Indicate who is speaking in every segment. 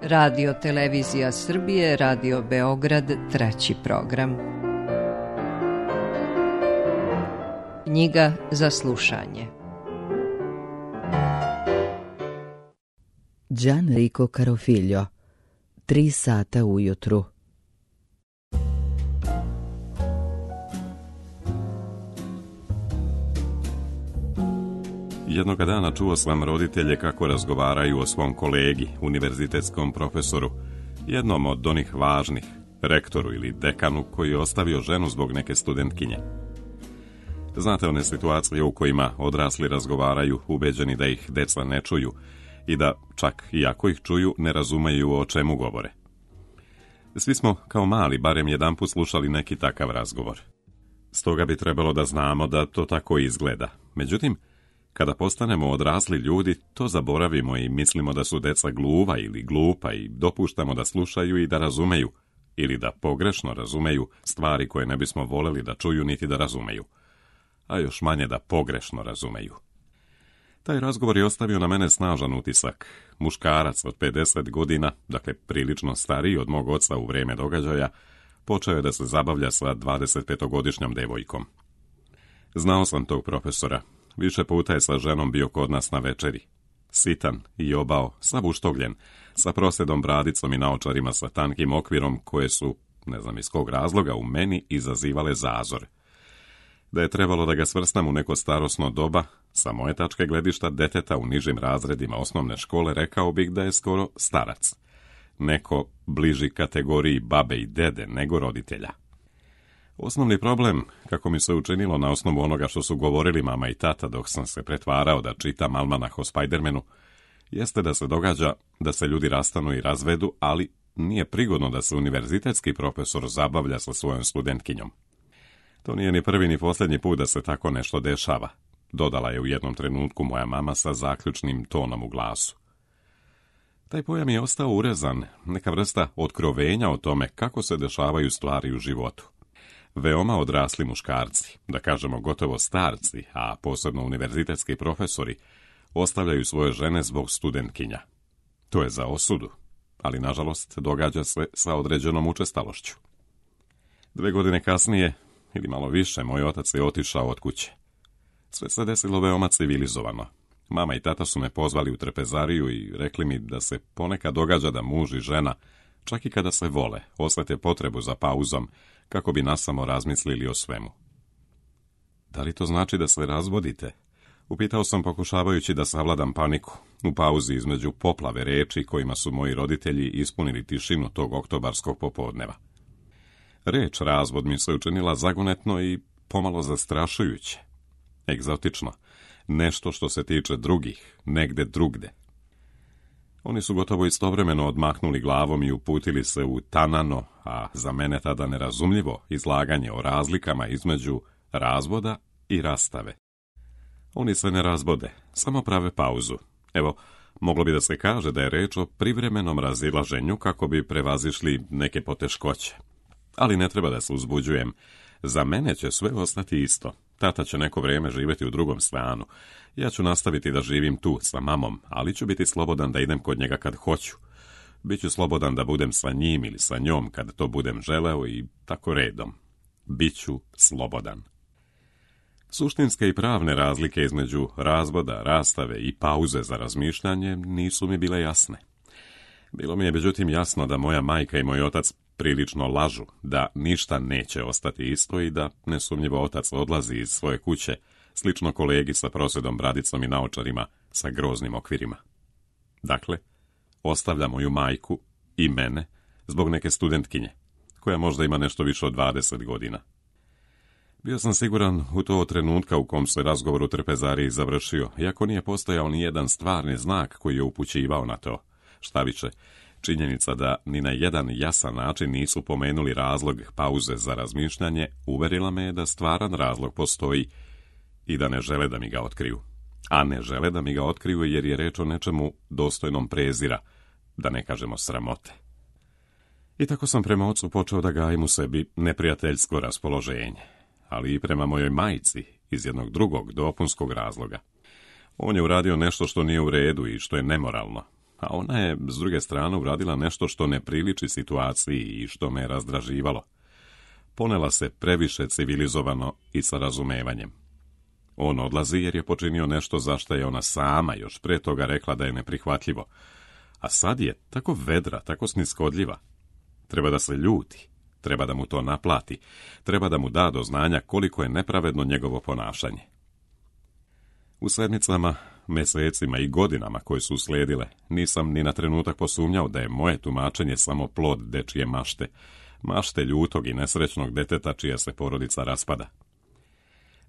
Speaker 1: Radio Televizija Srbije, Radio Beograd, 3. program. Knjiga za slušanje.
Speaker 2: Gianrico Carofiglio, 3 sata ujutru.
Speaker 3: Jednoga dana čuo sam roditelje kako razgovaraju o svom kolegi, univerzitetskom profesoru, jednom od onih važnih, rektoru ili dekanu koji je ostavio ženu zbog neke studentkinje. Znate one situacije u kojima odrasli razgovaraju ubeđeni da ih deca ne čuju i da, čak i ako ih čuju, ne razumeju o čemu govore. Svi smo, kao mali, barem jedanput slušali neki takav razgovor. Stoga bi trebalo da znamo da to tako izgleda. Međutim, kada postanemo odrasli ljudi, to zaboravimo i mislimo da su deca gluva ili glupa i dopuštamo da slušaju i da razumeju, ili da pogrešno razumeju stvari koje ne bismo voleli da čuju niti da razumeju, a još manje da pogrešno razumeju. Taj razgovor je ostavio na mene snažan utisak. Muškarac od 50 godina, dakle prilično stariji od mog oca u vrijeme događaja, počeo je da se zabavlja sa 25-godišnjom devojkom. Znao sam tog profesora. Više puta je sa ženom bio kod nas na večeri. Sitan i obao, sav uštogljen, sa prosedom bradicom i naočarima sa tankim okvirom koje su, ne znam iz kog razloga, u meni izazivale zazor. Da je trebalo da ga svrstam u neko starosno doba, sa moje tačke gledišta deteta u nižim razredima osnovne škole, rekao bih da je skoro starac. Neko bliži kategoriji babe i dede nego roditelja. Osnovni problem, kako mi se učinilo na osnovu onoga što su govorili mama i tata dok sam se pretvarao da čitam almanah o Spidermanu, jeste da se događa da se ljudi rastanu i razvedu, ali nije prigodno da se univerzitetski profesor zabavlja sa svojom studentkinjom. To nije ni prvi ni posljednji put da se tako nešto dešava, dodala je u jednom trenutku moja mama sa zaključnim tonom u glasu. Taj pojam je ostao urezan, neka vrsta otkrovenja o tome kako se dešavaju stvari u životu. Veoma odrasli muškarci, da kažemo gotovo starci, a posebno univerzitetski profesori, ostavljaju svoje žene zbog studentkinja. To je za osudu, ali nažalost događa se sa određenom učestalošću. 2 godine kasnije, ili malo više, moj otac je otišao od kuće. Sve se desilo veoma civilizovano. Mama i tata su me pozvali u trpezariju i rekli mi da se ponekad događa da muž i žena, čak i kada se vole, osjete potrebu za pauzom, kako bi nasamo razmislili o svemu. Da li to znači da se razvodite? Upitao sam pokušavajući da savladam paniku, u pauzi između poplave reči kojima su moji roditelji ispunili tišinu tog oktobarskog popodneva. Reč razvod mi se učinila zagonetno i pomalo zastrašujuće. Egzotično, nešto što se tiče drugih, negde drugde. Oni su gotovo istovremeno odmahnuli glavom i uputili se u tanano, a za mene tada nerazumljivo, izlaganje o razlikama između razvoda i rastave. Oni se ne razvode, samo prave pauzu. Evo, moglo bi da se kaže da je reč o privremenom razilaženju kako bi prevazišli neke poteškoće. Ali ne treba da se uzbuđujem. Za mene će sve ostati isto. Tata će neko vrijeme živjeti u drugom stanu. Ja ću nastaviti da živim tu sa mamom, ali ću biti slobodan da idem kod njega kad hoću. Biću slobodan da budem sa njim ili sa njom kad to budem želeo i tako redom. Biću slobodan. Suštinske i pravne razlike između razvoda, rastave i pauze za razmišljanje nisu mi bile jasne. Bilo mi je međutim jasno da moja majka i moj otac prilično lažu, da ništa neće ostati isto i da nesumnjivo otac odlazi iz svoje kuće, slično kolegi sa prosedom bradicom i naočarima sa groznim okvirima. Dakle, ostavlja moju majku i mene zbog neke studentkinje, koja možda ima nešto više od 20 godina. Bio sam siguran u to trenutka u kom se razgovor u trpezariji završio, iako nije postojao ni jedan stvarni znak koji je upućivao na to. Štaviše, činjenica da ni na jedan jasan način nisu pomenuli razlog pauze za razmišljanje uverila me da stvaran razlog postoji i da ne žele da mi ga otkriju. A ne žele da mi ga otkriju jer je reč o nečemu dostojnom prezira, da ne kažemo sramote. I tako sam prema ocu počeo da gajim u sebi neprijateljsko raspoloženje, ali i prema mojoj majci iz jednog drugog dopunskog razloga. On je uradio nešto što nije u redu i što je nemoralno. a ona je, s druge strane, uradila nešto što ne priliči situaciji i što me je razdraživalo. Ponela se previše civilizovano i sa razumevanjem. On odlazi jer je počinio nešto za što je ona sama još pre toga rekla da je neprihvatljivo. A sad je tako vedra, tako sniskodljiva. Treba da se ljuti, treba da mu to naplati, treba da mu da do znanja koliko je nepravedno njegovo ponašanje. U sedmicama, mesecima i godinama koje su uslijedile, nisam ni na trenutak posumnjao da je moje tumačenje samo plod dečije mašte, mašte ljutog i nesrećnog deteta čija se porodica raspada.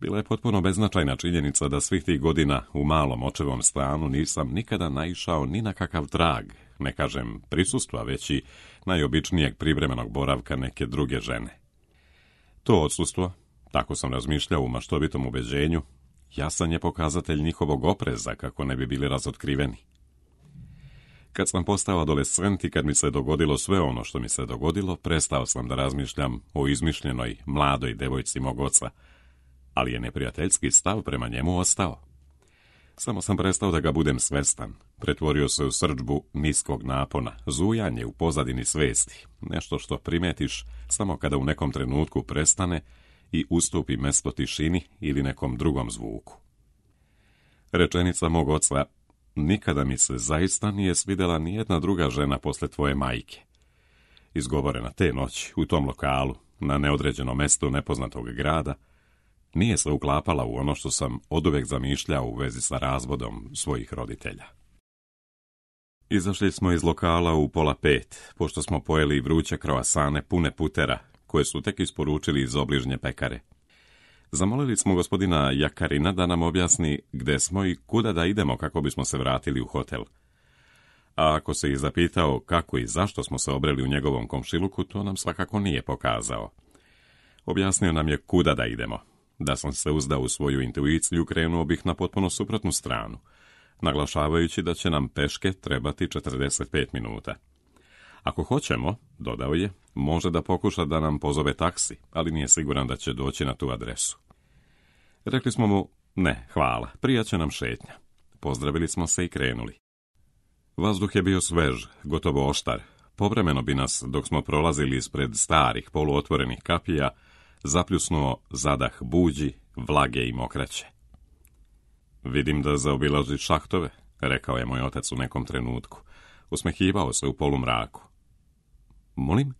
Speaker 3: Bila je potpuno beznačajna činjenica da svih tih godina u malom očevom stanu nisam nikada naišao ni na kakav trag, ne kažem prisustva, već i najobičnijeg privremenog boravka neke druge žene. To odsustvo, tako sam razmišljao u maštovitom ubeđenju, jasan je pokazatelj njihovog opreza kako ne bi bili razotkriveni. Kad sam postao adolescent i kad mi se dogodilo sve ono što mi se dogodilo, prestao sam da razmišljam o izmišljenoj mladoj devojci mog oca, ali je neprijateljski stav prema njemu ostao. Samo sam prestao da ga budem svestan, pretvorio se u srdžbu niskog napona, zujanje u pozadini svesti, nešto što primetiš samo kada u nekom trenutku prestane i ustupi mesto tišini ili nekom drugom zvuku. Rečenica mog oca, nikada mi se zaista nije svidjela nijedna druga žena posle tvoje majke, izgovorena te noći u tom lokalu, na neodređenom mestu nepoznatog grada, nije se uklapala u ono što sam oduvek zamišljao u vezi sa razvodom svojih roditelja. Izašli smo iz lokala u 4:30, pošto smo pojeli vruće kroasane pune putera, koje su tek isporučili iz obližnje pekare. Zamolili smo gospodina Jakarina da nam objasni gde smo i kuda da idemo kako bismo se vratili u hotel. A ako se i zapitao kako i zašto smo se obreli u njegovom komšiluku, to nam svakako nije pokazao. Objasnio nam je kuda da idemo. Da sam se uzdao u svoju intuiciju, krenuo bih na potpuno suprotnu stranu, naglašavajući da će nam peške trebati 45 minuta. Ako hoćemo, dodao je, može da pokuša da nam pozove taksi, ali nije siguran da će doći na tu adresu. Rekli smo mu, ne, hvala, prija će nam šetnja. Pozdravili smo se i krenuli. Vazduh je bio svež, gotovo oštar. Povremeno bi nas, dok smo prolazili ispred starih, poluotvorenih kapija, zapljusnuo zadah buđi, vlage i mokraće. Vidim da zaobilazi šahtove, rekao je moj otac u nekom trenutku. Usmehivao se u polumraku. Molim?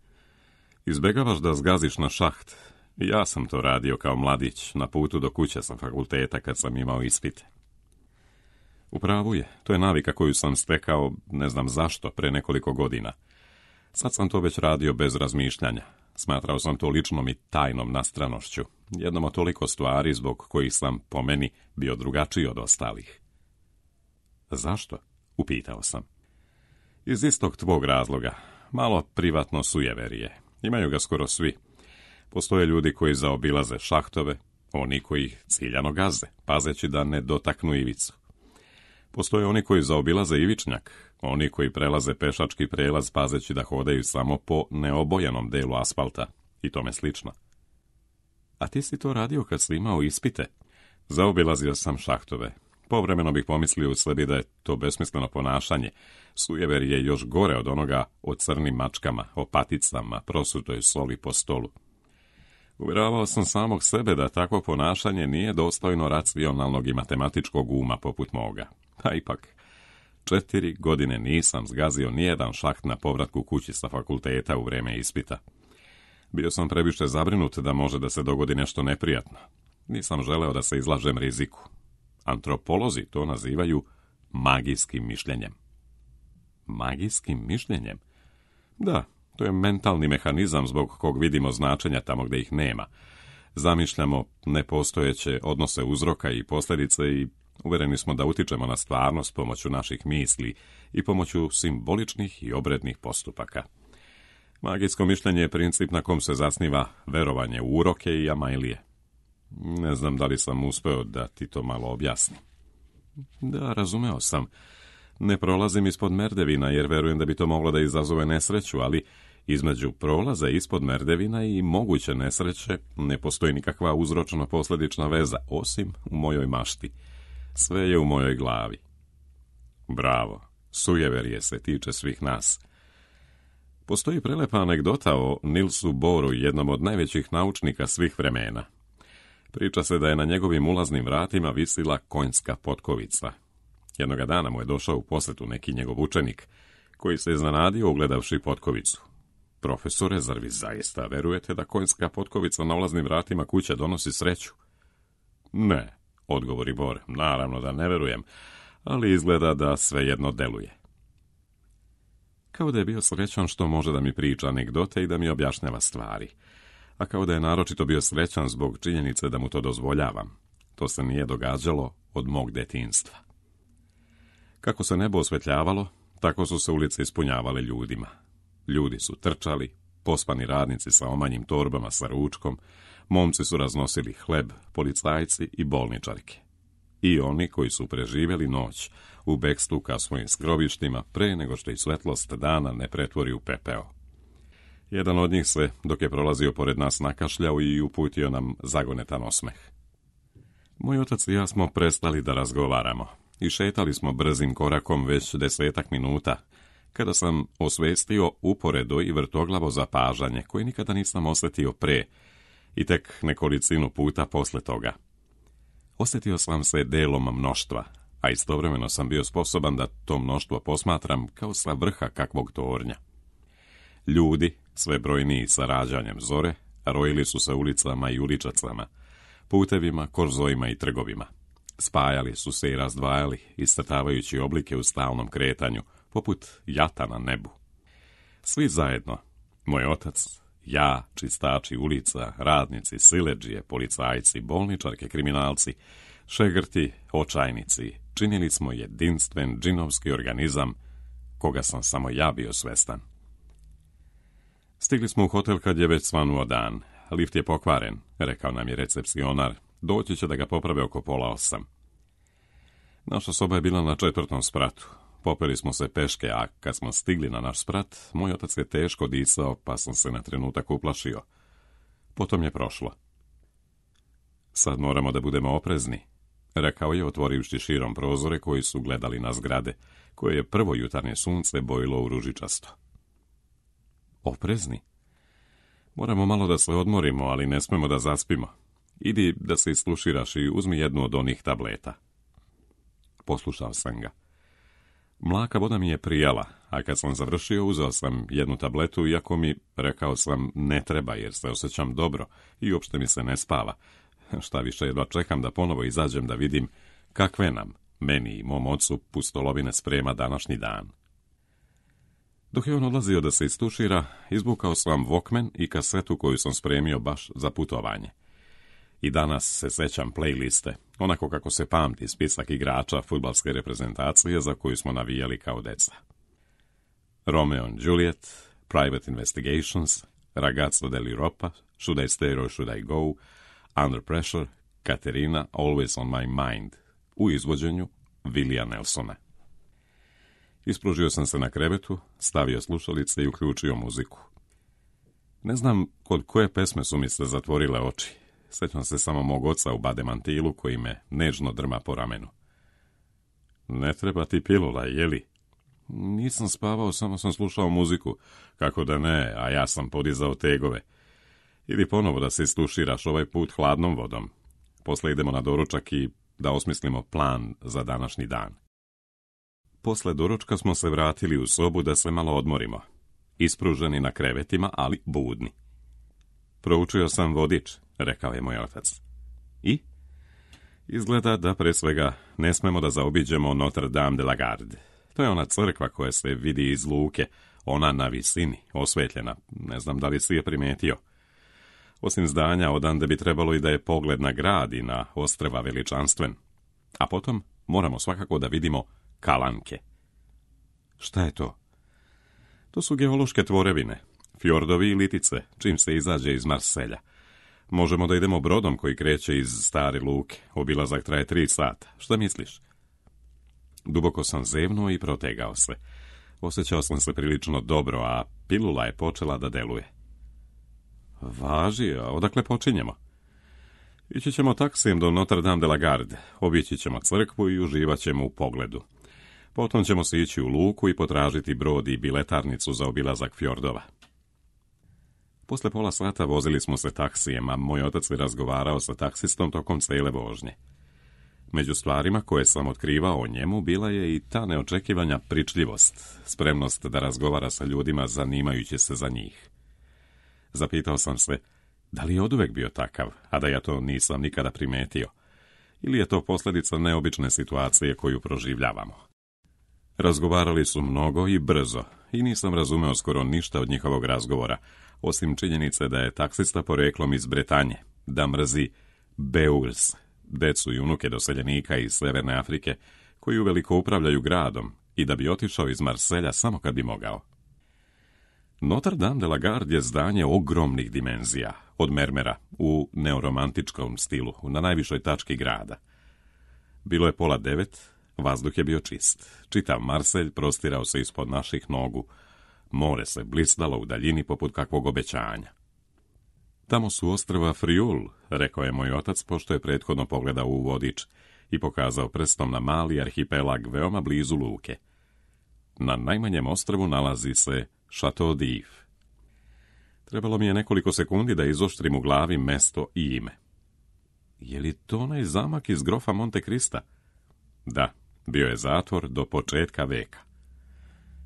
Speaker 3: Izbegavaš da zgaziš na šaht. Ja sam to radio kao mladić na putu do kuće sa fakulteta kad sam imao ispite. U pravu je, to je navika koju sam stekao, ne znam zašto, pre nekoliko godina. Sad sam to već radio bez razmišljanja. Smatrao sam to ličnom i tajnom nastranošću, jednom od toliko stvari zbog kojih sam, po meni, bio drugačiji od ostalih. Zašto? Upitao sam. Iz istog tvog razloga, malo privatno sujeverije. Imaju ga skoro svi. Postoje ljudi koji zaobilaze šahtove, oni koji ih ciljano gaze, pazeći da ne dotaknu ivicu. Postoje oni koji zaobilaze ivičnjak, oni koji prelaze pešački prelaz pazeći da hodaju samo po neobojenom delu asfalta i tome slično. A ti si to radio kad si imao ispite? Zaobilazio sam šahtove. Povremeno bih pomislio u sebi da je to besmisleno ponašanje. Sujever je još gore od onoga o crnim mačkama, o paticama, prosutoj soli po stolu. Uvjeravao sam samog sebe da takvo ponašanje nije dostojno racionalnog i matematičkog uma poput moga. A ipak, 4 godine nisam zgazio nijedan šaht na povratku kući sa fakulteta u vreme ispita. Bio sam previše zabrinut da može da se dogodi nešto neprijatno. Nisam želeo da se izlažem riziku. Antropolozi to nazivaju magijskim mišljenjem. Magijskim mišljenjem? Da, to je mentalni mehanizam zbog kog vidimo značenja tamo gde ih nema. Zamišljamo nepostojeće odnose uzroka i posljedice i uvereni smo da utičemo na stvarnost pomoću naših misli i pomoću simboličnih i obrednih postupaka. Magijsko mišljenje je princip na kom se zasniva verovanje u uroke i amajlije. Ne znam da li sam uspeo da ti to malo objasnim. Da, razumeo sam. Ne prolazim ispod merdevina jer verujem da bi to moglo da izazove nesreću, ali između prolaza ispod merdevina i moguće nesreće ne postoji nikakva uzročno-posljedična veza, osim u mojoj mašti. Sve je u mojoj glavi. Bravo, Sujeverje se tiče svih nas. Postoji prelepa anegdota o Nilsu Bohru, jednom od najvećih naučnika svih vremena. Priča se da je na njegovim ulaznim vratima visila konjska potkovica. Jednoga dana mu je došao u posjetu neki njegov učenik, koji se iznenadio ugledavši potkovicu. Profesore, zar vi zaista verujete da konjska potkovica na ulaznim vratima kuće donosi sreću? Ne, odgovori Bohr, naravno da ne verujem, ali izgleda da svejedno deluje. Kao da je bio srećan što može da mi priča anegdote i da mi objašnjava stvari, a kao da je naročito bio srećan zbog činjenice da mu to dozvoljavam. To se nije događalo od mog detinjstva. Kako se nebo osvetljavalo, tako su se ulice ispunjavale ljudima. Ljudi su trčali, pospani radnici sa omanjim torbama sa ručkom, momci su raznosili hleb, policajci i bolničarke. I oni koji su preživjeli noć u bekstvu ka svojim skrovištima pre nego što i svetlost dana ne pretvori u pepeo. Jedan od njih se, dok je prolazio pored nas, nakašljao i uputio nam zagonetan osmeh. Moj otac i ja smo prestali da razgovaramo i šetali smo brzim korakom već 10 minuta, kada sam osvestio uporedo i vrtoglavo zapažanje koje nikada nisam osjetio pre i tek nekolicinu puta posle toga. Osjetio sam se delom mnoštva, a istovremeno sam bio sposoban da to mnoštvo posmatram kao sa vrha kakvog tornja. Ljudi, sve brojniji sa rađanjem zore, rojili su se ulicama i uličacama, putevima, korzojima i trgovima. Spajali su se i razdvajali, iscrtavajući oblike u stalnom kretanju, poput jata na nebu. Svi zajedno, moj otac, ja, čistači ulica, radnici, siledžije, policajci, bolničarke, kriminalci, šegrti, očajnici, činili smo jedinstven džinovski organizam, koga sam samo ja bio svestan. Stigli smo u hotel kad je već svanuo dan. Lift je pokvaren, rekao nam je recepcionar. Doći će da ga poprave oko 7:30. Naša soba je bila na 4. spratu. Popeli smo se peške, a kad smo stigli na naš sprat, moj otac je teško disao, pa sam se na trenutak uplašio. Potom je prošlo. Sad moramo da budemo oprezni, rekao je otvorivši širom prozore koji su gledali na zgrade, koje je prvo jutarnje sunce bojilo u ružičasto. Oprezni? Moramo malo da se odmorimo, ali ne smemo da zaspimo. Idi da se isluširaš i uzmi jednu od onih tableta. Poslušao sam ga. Mlaka voda mi je prijala, a kad sam završio uzeo sam jednu tabletu, iako mi, rekao sam, ne treba jer se osjećam dobro i uopšte mi se ne spava. Šta više, jedva čekam da ponovo izađem da vidim kakve nam, meni i mom ocu, pustolovine sprema današnji dan. Dok je on odlazio da se istušira, izvukao sam Walkman i kasetu koju sam spremio baš za putovanje. I danas se sećam playliste, onako kako se pamti spisak igrača fudbalske reprezentacije za koju smo navijali kao deca. Romeo and Juliet, Private Investigations, Ragazzo dell'Europa, Should I Stay or Should I Go, Under Pressure, Katerina, Always on My Mind, u izvođenju Willija Nelsona. Ispružio sam se na krevetu, stavio slušalice i uključio muziku. Ne znam kod koje pesme su mi se zatvorile oči. Sjećam se samo mog oca u bademantilu koji me nežno drma po ramenu. Ne treba ti pilula, jeli? Nisam spavao, samo sam slušao muziku. Kako da ne, a ja sam podizao tegove. Idi ponovo da se istuširaš, ovaj put hladnom vodom. Posle idemo na doručak i da osmislimo plan za današnji dan. Posle doručka smo se vratili u sobu da se malo odmorimo. Ispruženi na krevetima, ali budni. Proučio sam vodič, rekao je moj otac. I? Izgleda da pre svega ne smemo da zaobiđemo Notre Dame de la Garde. To je ona crkva koja se vidi iz luke, ona na visini, osvetljena, ne znam da li si je primetio. Osim zdanja, odande bi trebalo i da je pogled na grad i na ostrva veličanstven. A potom moramo svakako da vidimo Kalanke. Šta je to? To su geološke tvorevine, fjordovi i litice, čim se izađe iz Marselja. Možemo da idemo brodom koji kreće iz stare luke. Obilazak traje 3 sata. Šta misliš? Duboko sam zevnuo i protegao se. Osjećao sam se prilično dobro, a pilula je počela da deluje. Važi, a odakle počinjemo? Ići ćemo taksijem do Notre Dame de la Garde, obići ćemo crkvu i uživat ćemo u pogledu. Potom ćemo se ići u luku i potražiti brod i biletarnicu za obilazak fjordova. Posle pola sata vozili smo se taksijem, a moj otac je razgovarao sa taksistom tokom cijele vožnje. Među stvarima koje sam otkrivao o njemu bila je i ta neočekivanja pričljivost, spremnost da razgovara sa ljudima zanimajući se za njih. Zapitao sam se, da li je oduvek bio takav, a da ja to nisam nikada primetio, ili je to posljedica neobične situacije koju proživljavamo. Razgovarali su mnogo i brzo i nisam razumeo skoro ništa od njihovog razgovora, osim činjenice da je taksista poreklom iz Bretanje, da mrzi Beurs, decu i unuke doseljenika iz Severne Afrike, koji uveliko upravljaju gradom i da bi otišao iz Marselja samo kad bi mogao. Notre Dame de la Garde je zdanje ogromnih dimenzija, od mermera, u neoromantičkom stilu, na najvišoj tački grada. Bilo je 8:30, vazduh je bio čist. Čitav Marselj prostirao se ispod naših nogu, more se blistalo u daljini poput kakvog obećanja. Tamo su ostrva Friul, rekao je moj otac, pošto je prethodno pogledao u vodič i pokazao prstom na mali arhipelag veoma blizu luke. Na najmanjem ostrvu nalazi se Chateau d'If. Trebalo mi je nekoliko sekundi da izoštrim u glavi mesto i ime. Je li to onaj zamak iz grofa Monte Krista? Da, bio je zatvor do početka veka.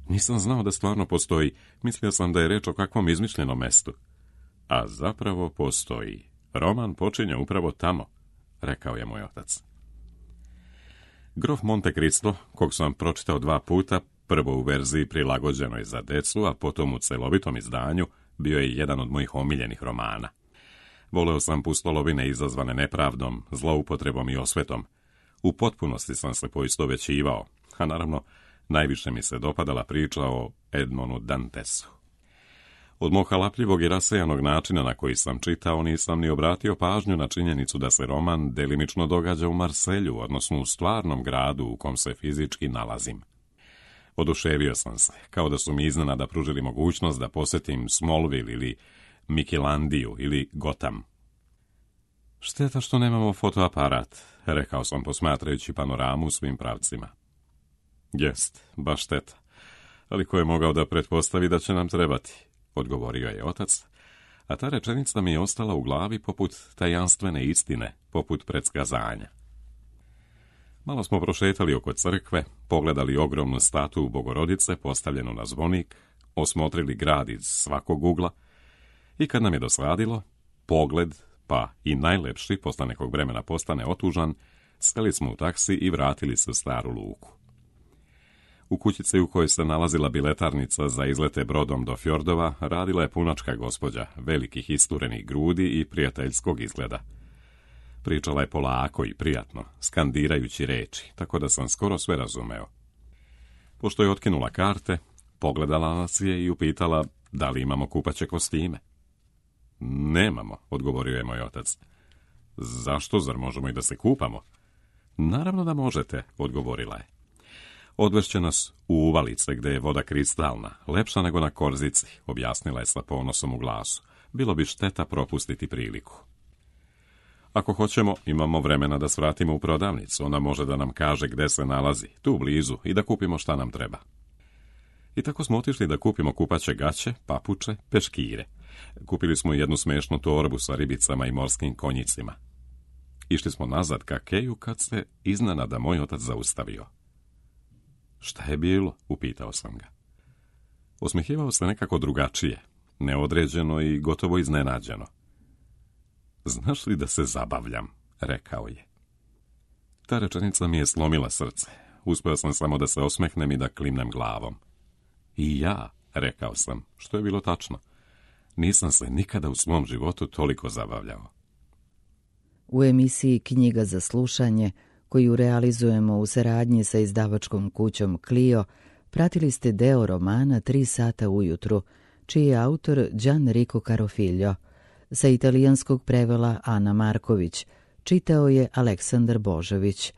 Speaker 3: Nisam znao da stvarno postoji, mislio sam da je reč o kakvom izmišljenom mestu. A zapravo postoji. Roman počinje upravo tamo, rekao je moj otac. Grof Monte Cristo, kog sam pročitao 2 puta, prvo u verziji prilagođenoj za decu, a potom u celovitom izdanju, bio je jedan od mojih omiljenih romana. Voleo sam pustolovine izazvane nepravdom, zloupotrebom i osvetom. U potpunosti sam se poistovećivao, a naravno, najviše mi se dopadala priča o Edmondu Dantesu. Od mog halapljivog i rasejanog načina na koji sam čitao, nisam ni obratio pažnju na činjenicu da se roman delimično događa u Marselju, odnosno u stvarnom gradu u kom se fizički nalazim. Oduševio sam se, kao da su mi iznenada pružili mogućnost da posjetim Smallville ili Mikilandiju ili Gotham. Šteta što nemamo fotoaparat, rekao sam posmatrajući panoramu u svim pravcima. Jest, baš šteta, ali ko je mogao da pretpostavi da će nam trebati, odgovorio je otac, a ta rečenica mi je ostala u glavi poput tajanstvene istine, poput predskazanja. Malo smo prošetali oko crkve, pogledali ogromnu statu Bogorodice postavljenu na zvonik, osmotrili grad iz svakog ugla i kad nam je dosadilo, pogled, pa i najlepši, posle nekog vremena postane otužan, seli smo u taksi i vratili se u staru luku. U kućici u kojoj se nalazila biletarnica za izlete brodom do fjordova radila je punačka gospođa, velikih isturenih grudi i prijateljskog izgleda. Pričala je polako i prijatno, skandirajući reči, tako da sam skoro sve razumeo. Pošto je otkinula karte, pogledala nas je i upitala da li imamo kupaće kostime. Nemamo, odgovorio je moj otac. Zašto, zar možemo i da se kupamo? Naravno da možete, odgovorila je. Odvešće nas u uvalice gde je voda kristalna, lepša nego na Korzici, objasnila je sa ponosom u glasu. Bilo bi šteta propustiti priliku. Ako hoćemo, imamo vremena da svratimo u prodavnicu, ona može da nam kaže gde se nalazi, tu blizu, i da kupimo šta nam treba. I tako smo otišli da kupimo kupaće gaće, papuče, peškire. Kupili smo jednu smešnu torbu sa ribicama i morskim konjicima. Išli smo nazad ka keju kad se iznenada moj otac zaustavio. Šta je bilo? Upitao sam ga. Osmehivao se nekako drugačije, neodređeno i gotovo iznenađeno. Znaš li da se zabavljam? Rekao je. Ta rečenica mi je slomila srce. Uspeo sam samo da se osmehnem i da klimnem glavom. I ja, rekao sam, što je bilo tačno. Nisam se nikada u svom životu toliko zabavljao.
Speaker 2: U emisiji Knjiga za slušanje, koju realizujemo u saradnji sa izdavačkom kućom Clio, pratili ste deo romana 3 sata ujutru, čiji je autor Gianrico Carofiglio. Sa italijanskog prevela Ana Marković, čitao je Aleksandar Božović.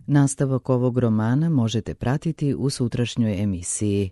Speaker 2: Nastavak ovog romana možete pratiti u sutrašnjoj emisiji.